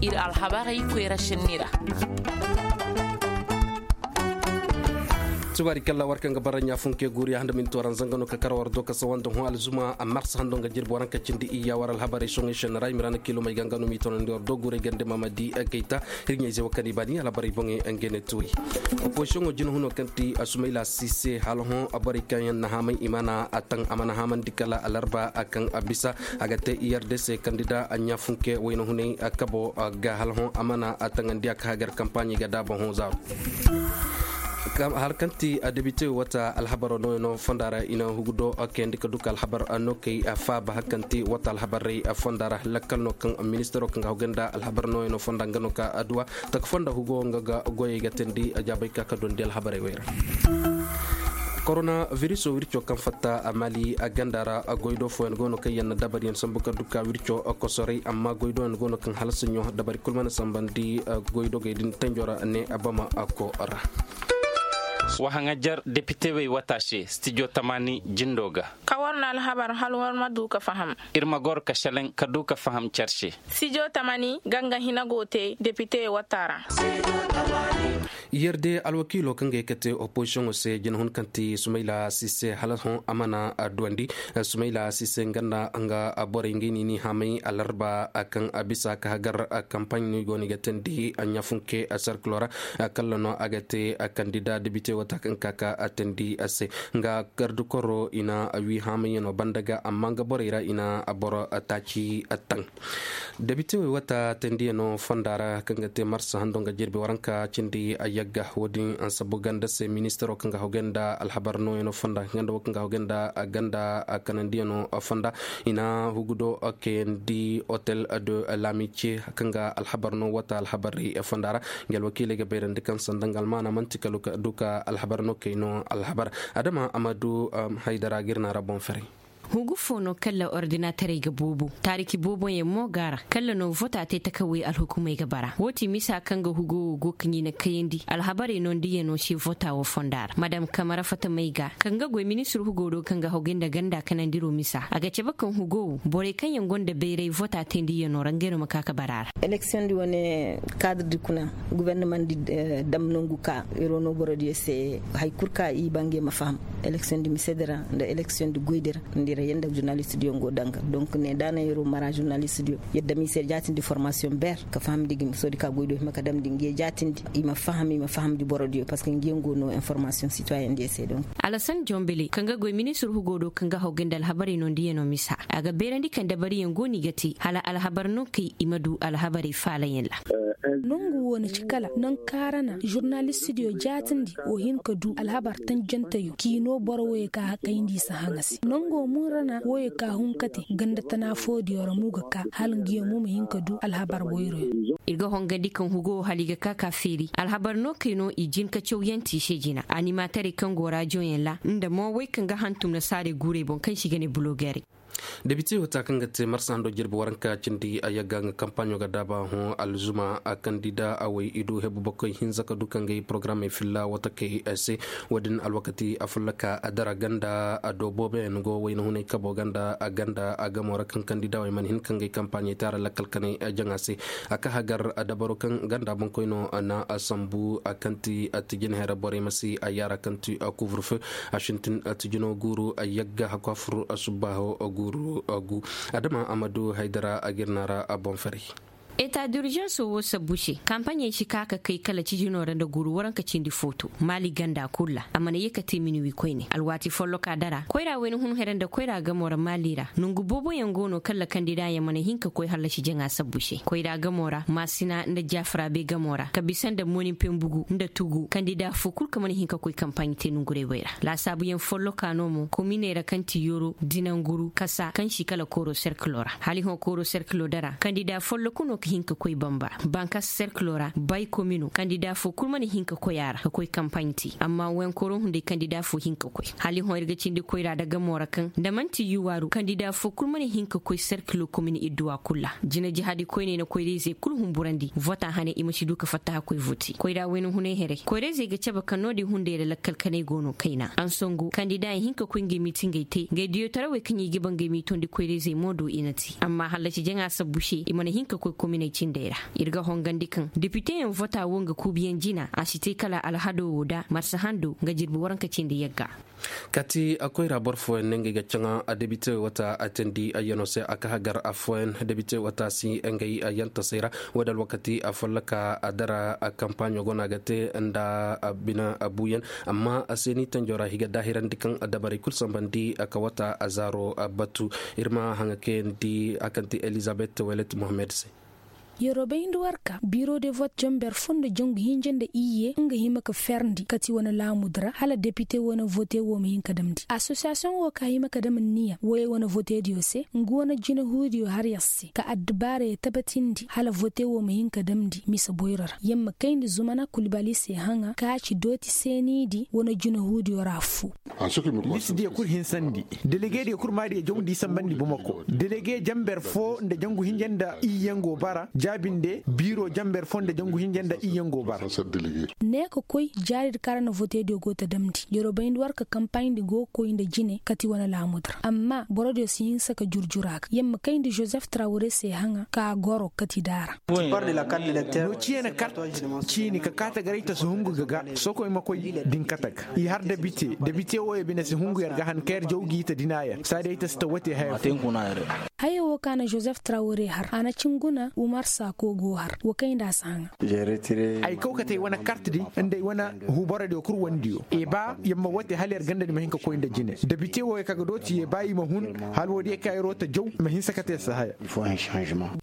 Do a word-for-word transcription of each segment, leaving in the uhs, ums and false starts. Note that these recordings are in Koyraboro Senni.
Ir alhabarey koyra senni ra. Subaari kalla war kaŋ ga bara ɲaafunke guuriya handa minti waranza nga no ka kar war do ka sawa nda hõ alzuma a mars hando nga jirbi waranka cindi iyya war alhabarey soŋey senni ra i ma ra na kiilomey ga nga no m'i toonandi war do guurey gande mamadi gayta. Hirɲey ze wo kaŋ i baani alhabarey boŋey nga ne tuuri. Opozisiyoŋo jina huno kaŋ ti a sumayla sise hala hõ borey kaŋ yaŋ na haamay i mana a taŋ a mana haamandi kala alarba a kaŋ a bisa a ga te i r d c kandida a ɲaafunke wayna hunay kabo ga hala hõ a mana a taŋandi a ka hagar kampaaɲi ga daaba hõ zaaru. Hala kaŋ ti a debite wata alhabaro no yaŋ no fonda ra i na hugu do kayandi ka du ka alhabar no kay faaba hala kaŋ ti wata alhabarey fonda ra lakkal no kaŋ ministaro kaŋ ga hogay nda alhabar no yaŋ no fonda nga no ka adduwa taka fonda hugo nga ga goyey ga teendi a jaabay ka ka dondi alhabarey wey ra. Korona viriso wirco kaŋ fatta a mali a ganda ra goydo fooyaŋ go no kaŋ yaŋ na dabariyaŋ sambu ka du ka wirco kosoray amma goydoyaŋ go no kaŋ hala saɲɲo dabari kul mana sambandi. Goydogey din tanjo ra ne a bama ko ra. Wahaŋajar depitewey wata se stijo tamaani jindo ga. Ka war na alhabar hal war ma du ka faham. Ir ma goro ka seleŋ ka du ka faham car se. Stijo tamaani ga nga hina go te depite wata ra. Yer'de alwakiilo kaŋ ga ye ka te opozisiyoŋo se jina hun kaŋ ti sumayla sise hala hõ a mana duwandi. Sumayla sise nga nda nga borey ngey no i n'i haamay alarba kaŋ a bisa ka hagar kampaaɲ no i go no i ga teendi ɲaafunke sarkilo ra. Kalla no a ga te kandida debite wata kaŋ ka ka a teendi a se. Nga gardikoro i na wi haamayaŋo banda ga amma nga borey ra i na boro taaci taŋ. Debitewey wata tendiyaŋo fonda ra kaŋ ga te marsa hando nga jirbi waranka cindi a yagga wo-din ansabu ganda se ministaro kaŋ ga hogay nda alhabar nooyaŋo fonda ganda wo kaŋ ga hogay nda ganda kanandiyaŋo fonda. I na hugudo kayandi hotel de l'amitié kaŋ ga alhabar no wata alhabarey fonda ra. Nga alwakiiley ga bayrandi kaŋ sanda nga almaana man'ti kala du ka alhabar no kay no alhabar. Adama amadu haydara ga ir na ra boŋ ferey. Hugu fo no kalla ordinaterey ga boobo taariki booboyaŋ mo go a ra kalla no vota te takawey alhukumey ga bara wo ti misa kaŋ ga hugo wo go ka ɲina kayandi alhabarey no nda yaŋ no se vota wo fonda ra madam kamara fatamey ga kaŋ ga goy ministir hugo do kaŋ ga hogay nda ganda kanandiro misa a ga cabe kaŋ hugo wo borey kaŋ yaŋ gonda bayray vota te nda yaŋ no ra ngey no ma ka ka bara a ra. Eleksiyoŋ di wane kaadar di kuna gubernaman di dam nangu ka iro no borodiyo se. Hari kulu ka i ba ngey ma faham eleksiyoŋ di mise di ra nda eleksiyoŋ di goy di ra nda i ra yee nda žurnalist diyo ngo danga donk ne da na iro mara žurnalist diyo yadda mise jaatindi formasiyoŋ ber ka faham di ga miso di ka goy do hima ka damndi ngey jaatindi i ma faham i ma faham di borodiyo parceque ngey ngo no informasiyoŋ sitoyen diyo se donk. Alasan jombele kaŋ ga goy ministir hugo do kaŋ ga hawgay nda alhabarey no nda yaŋ no misa a ga beerandi kaŋ dabariyaŋ go no i ga te hala alhabar no kay i ma du alhabarey faalayaŋ ra. Nangu wo na ci kala nangu kaŋ ra na žurnalistidiyo jaatindi wo hin ka du alhabar tanjanteyo k'i no boro woyey kaŋ a kayndi i si haŋa se nango mo ra na woyey kaŋ a hun ka te ganda tana foodiyo ra mo ga ka hala nga yaŋ mo ma hin ka du alhabar boyroyo. Ir ga hongandi kaŋ hugo wo hala i ga ka ka feeri alhabar no kay no i jin ka cawyanti i se jina animatarey kaŋ go rajoyaŋ ra nda mo wey kaŋ ga hantum na saarey guurey boŋ kaŋ se i ga ne bulogerey. Debite wata kaŋ ga te marsa hando jirbi waranka cindi a yagga nga kampaaɲo ga daaba hõ alzuma a kandida a way i du hebu bakoy hinza ka du ka ngey porogaramey filla watakey se. Wo-din alwakati a fulla ka a dara ganda a do booboyaŋ go wayna hunay kabo ganda a ganda a gamo ra kaŋ kandida wey mana hin ka ngey kampaaɲey te a ra lakkal kanay jaŋa se. A ka hagar a dabaro kaŋ ganda boŋkoy no na a sambu a kaŋ ti a tijin here borey ma si a yaara kaŋ ti a kuvrefeu a sintin a tijino guuru a yagga hakku a fur a subbaaho a guuru a gu. Adama amadu haydara a ga ir naara a boŋ ferey. Eta d'urgence wo sabbu se kampaɲey si ka ka kay kala cijino ra nda guuru waranka cindi footo maali ganda kulu ra a mana ye ka te minuwi koyne alwaati folloka dara koyra wayna hun here nda koyra gamo ra maali ra nongu booboyaŋ go no kala kandidaayaŋ mana hin ka koy hallasi jaŋa sabbu se koyra gamo ra maasina nda jaafarabe gamo ra ka bisa nda moni pembugu nda tugu kandida fo kulu kaŋ mana hin ka koy kampaaɲi te nongurey wey ra laasaabuyaŋ folloka no mo kominey ra kaŋ ti yoro dinanguru kasa kaŋ si kala kooro serkilo ra hala i hõ kooro serkilo dara kandida folloku no ka hin ka koy bamba bankas serkilo ra bay komino kandida fo kulu mana hin ka koy a ra ka koy kampaaɲi te amma wayankooro hunday kandida fo hin ka koy hala i hõ ir ga cindi koyra nda gamo ra kaŋ nda man'ti yuwaaru kandida fo kulu mana hin ka koy serkilo komin idduwa kulu ra jina jihadi koyney na koyrayzey kulu humburandi vota hane i ma si du ka fatta ka koy voti koyra wayna hunay herey koyrayzey ga cabe kaŋ no-din hunday ra lakkal kanay go no kayna ansongo kandida i hin ka koy ngey miitingey te ngey diyotarawey kaŋ i ga ba ngey miitondi koyrayzey mo do i na te amma hallasi jaŋa sabbu se i mana hin ka koy komin Cindey ra ir ga hongandi kaŋ depiteyaŋ vota wo nga kuubiyaŋ jina a si te kala alhado wo da marsa hando nga jirbi waranka cindi yagga. Kaati koyra boro fooyaŋ ne ngey ga caŋa depite wata a teendi ayyano se a ka hagar affooyaŋ depite wata si ngey yantasey ra. Wo- din alwakati a folloka a dara kampaaɲo go no a ga te nda bine buuyaŋ. Amma seeni tanjo ra i ga daahirandi kaŋ dabarey kulu sambandi ka wata zaaro batu. Ir ma haŋa kayandi a kaŋ ti elizabet welet mohammed se. Yeroo bay nda warka biro de vote jamber fo nda jangu hinja nda iyye nga hima ka ferndi kati wane laamudi ra hala depite wane vote wo ma hin ka damndi asosiyasiyoŋ wo ka hima ka dam nniya woyey wane vote diyo se nga wane jinahuudiyo har yer se ka addubaarey tabatindi hala vote wo ma hin ka damndi mise boyro ra yer ma kayndi zumana kulbali se haŋa ka ci dooti seenidi wane jinahuudiyo ra affoo. List diyo kul hinsandi. Delege diyo kul maadiyo jawndi sambandi bumako delege jamber fo nda jangu hinja nda iyye ngo bara jaabinde biro jamber fo nda jangu hinja nda iyye ngo bara. Ne ka koy jaaridi kaŋ ra na vote diyo go ta damndi yeroo bay nda war ka kampaaɲdi go ga koy nda jine kati wane laamudi ra amma boro diyo si hinsa ka jurjura ga yer ma kayndi joseph trawre se haŋa ka goro kati daara. No ciye na kart ciini ka kaata garay ta si hungu ga ga sokoy ma koy din kata ga i har debite debite wo ya bine si hungu yer ga han ka yer jaw gi ta dina yer saadi ay ta si ta wote haya fo. Haya wo ka na joseph trawre har a na cin guna umar sako go har wa kay nda a si haŋa. Ay kaw kate ay wane kart di nda ay wane huboro diyo kul wandiyo i ba yer ma wote hala yer ganda di ma hin ka koy nda jine debite wo ya ka ga dooti ya ba i ma hun hala wo diyo ka yeroo ta jaw ma hinsa kate si haya.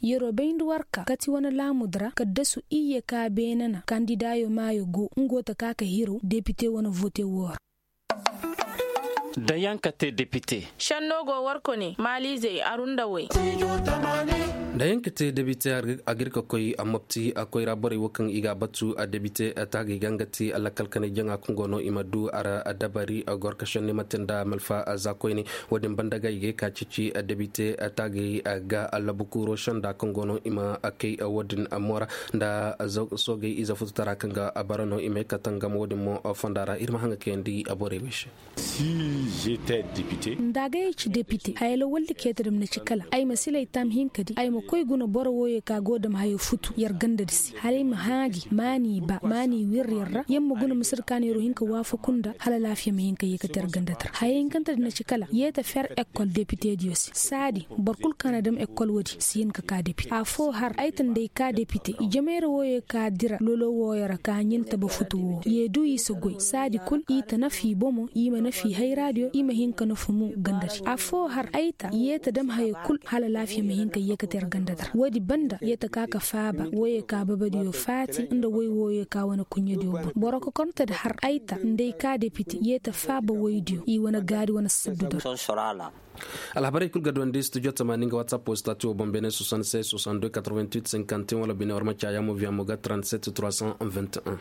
Yeroo bay nda warka kati wane laamudi ra kaddasu iyye ka beene na kandidaayo maayo go nga go ta ka ka hirow depite wane vote woo ra. Da yaŋ ka te depite. Šenno go warko ne maaliizey aru nda way. Da yaŋ ka te depite a ga ir ka koy a mopti a koyra borey wo kaŋ i ga a batu a depite taagey ga nga ti lakkal kanay jaŋa kaŋ go no i ma du a ra dabari goro ka šenni mate nda malfa za koyne. Wo- din banda ga i ga ye ka ceeci debite taagey ga labu kuuro šenda kaŋ go no i ma kay wo- din moora nda soogey ize fututara kaŋ ga bara no i ma ye ka tangam wo- din mo fonda ra ir ma haŋa kayandi borey wey se. Nda agay ay ci depite haya lawaldi kee ta dam na ci kala ay ma silay taam hinka di ay ma koy guna boro wooyey ka go dam hayo futu yer ganda di se hala ay ma hãa gi maani ba maani wir yer ra yer ma guna masir ka neero hinka waafaku nda hala laafiya ma hinka yeekate yer ganda di ra haya hinkante di na ci kala yee ta fer ekkol depite diyo se saadi boro kul ka na dam ekkol woodi si hin ka ka depite afoo har ay ta nda ay ka depite i jamayra wooyey ka dira lolo wooyo ra ka ɲin taba futu woo yee du i si goy saadi kul i ta nafa i bomo i ma nafa i hayraadiyo i ma hin ka nafa mo ganda di afoo har ay ta yee ta dam haya kul hala laafiya ma hin ka yeekate yer ganda di ra woodi banda yee ta ka ka faaba woyey ka babadiyo faati nda woy wooyey ka wane kuɲɲadiyo boŋ boro kokornte di har ay ta nda ay ka depite yee ta faaba woydiyo i wane gaadi wane saddu di ra. Alhabarey kul ga duwandi studio tamaani nga whatsapp wo stati wo boŋ beene soixante-seize soixante-deux quatre-vingt-huit cinquante et un wala bine war ma caayaa mo viya mo ga trente-sept trois cent vingt et un.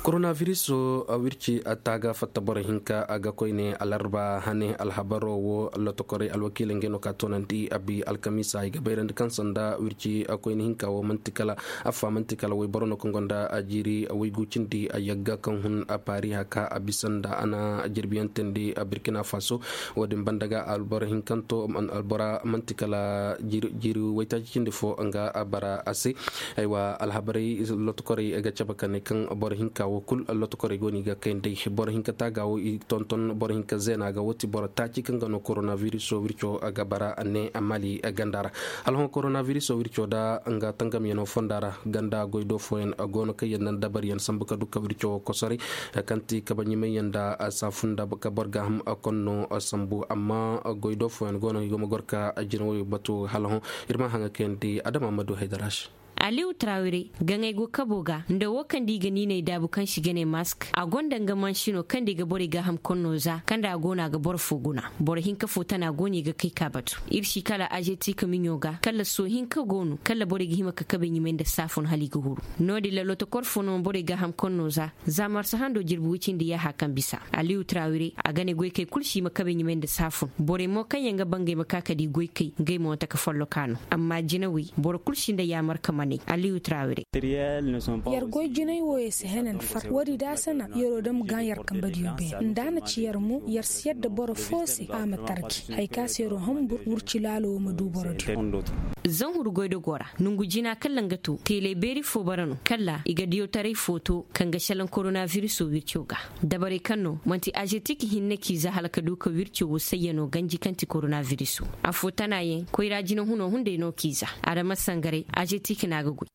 Koronaviris wo wirci taaga fatta boro hinka a ga koyne alarba hane alhabaro wo lotokorey alwakiiley ngey no ka toonandi abi alkamiisa i ga bayrandi kaŋ sanda wirci koyne hinka wo man'ti kala affa man'ti kala woyboro no kaŋ gonda jiiri woygu cindi yagga kaŋ hun a paari haka a bisa nda a na jirbiyaŋ teendi birkina faso. Wo- din banda ga albora hinkanto albora man'ti kala jiiri waytaaci cindi fo nga a bara a se. Aywa alhabarey lotokorey ga cabe ka ne kaŋ boro hinka wo kul lotokorey go no i ga kay nd'ey boro hinka taaga wo i tonton boro hinka zeena ga wo ti boro taaci kaŋ ga no koronaviris wo wirco ga bara ne mali ganda ra. Hala hõ koronaviris wo wirco nda nga tangamyaŋo fonda ra ganda goy do fooyaŋ go no kaŋ yaŋ naŋ dabariyaŋ sambu ka du ka wirco wo kosoray kaŋ ti kabe ɲumayyaŋ nda saafun nda ka boro gaaham konno sambu amma goy do fooyaŋ go no i go ma goro ka jina woyo batu hala hõ. Ir ma haŋa kayandi adama ma du haydara se. Aliw trawire gaŋey go kabo ga nda wo kaŋ da i ga niiney daabu kaŋ se i ga ne mask a gonda nga mansino kaŋ da i ga borey gaaham konno za kaŋ da a go no a ga boro fo guna. Boro hinka fo tana go no i ga kay ka batu ir si kala azetik miɲo ga kala soo hinka go no kala borey ga hima ka kabe ɲumay nda saafun hala i ga huru. No- din ra lotokor fo no borey gaaham konno za za marsa hando jirbi woy cindi yaaha kaŋ bisa aliw trawire a ga ne goykey kul se i ma kabe ɲumay nda saafun borey mo kaŋ yaŋ ga ba ngey ma ka ka di goykey ngey mo taka folloka no. Amma jinawey boro kul si nda yaamar ka ma ne. Aliyu trawire. Yer goy jinay wooyo si henan far woodi da a sana yeroo dam gaŋ yer kambadiyo beene nda a na ci yer mo yer si yadda boro foo se a ma tarji haya ka se yeroo hambur wurci laalo woo ma du borodiyo. Zanhuru goydogoo ra nongu jina kalla nga to teelay beeri foo bara no kalla i ga diyawtaray foo to kaŋ ga šelaŋ koronabiriso wirco ga. Dabarey kaŋ no man'ti azetik hinne k'i za hala ka du ka wirco woo sayyanoo ganji kaŋ ti koronabiriso. Affoo tanaayaŋ koyra jinahunoo hunday no k'i za. Adama sangaray azetik no a ga goy.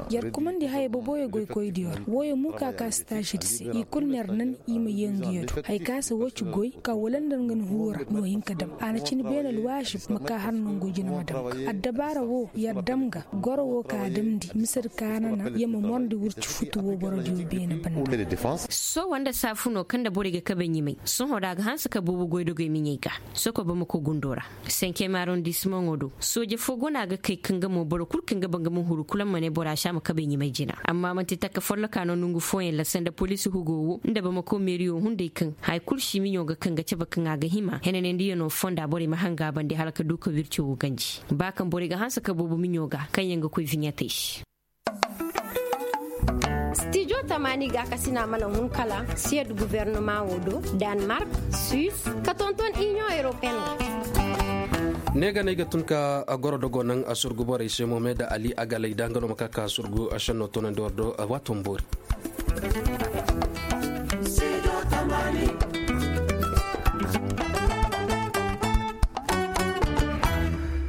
Yer kumandi haya boboyo goykoydiyo ra wooyo mo ka ka staazidi se i kul na yer nan i ma yee nguyo do haya ka se woo ci goy ka wala nda nga na huru ra no hin ka dam a na cin beene alwaazib ma ka har nongo jina ma dam ga addabaara woo yer dam ga goro woo ka damndi misedi kaanana yer ma morndi wurci futu woo borodiyo beene banda. Sohõ nda saafunoo kaŋ nda borey ga kabe ɲimay sohõ da a ga hanse ka boobo goydogey miɲey ga. Soko bamako gundoo ra senkem arondismaŋo do sooje foo go no a ga kay kaŋ ga mo boro kul kaŋ ga ba nga ma huru kul a ma ne bora si a ma kabe ɲimay jina amma man'ti takka folloka no nongu fooyaŋ ra sanda poliisi hugoo woo nda bamako meeriyo hunday kaŋ haya kul si miɲo ga kaŋ ga cabe kaŋ a ga hima henanandiyanoo fonda borey ma hanga a bande hala ka du ka wirco woo ganji ba kaŋ borey ga hanse ka boobo miɲo ga kaŋyaŋ ga koy viɲatey se. Stijo tamaani gaakasina mana hun kala siyed guverneman wo do, danmark, suis, ka tonton inion europeen wo. Ne ga no ay ga tun ka goro dogo naŋ a surgu borey se mo me nda ali agalay da nga no ma ka ka surgu a šenno toonandi war do. Waato ma boori.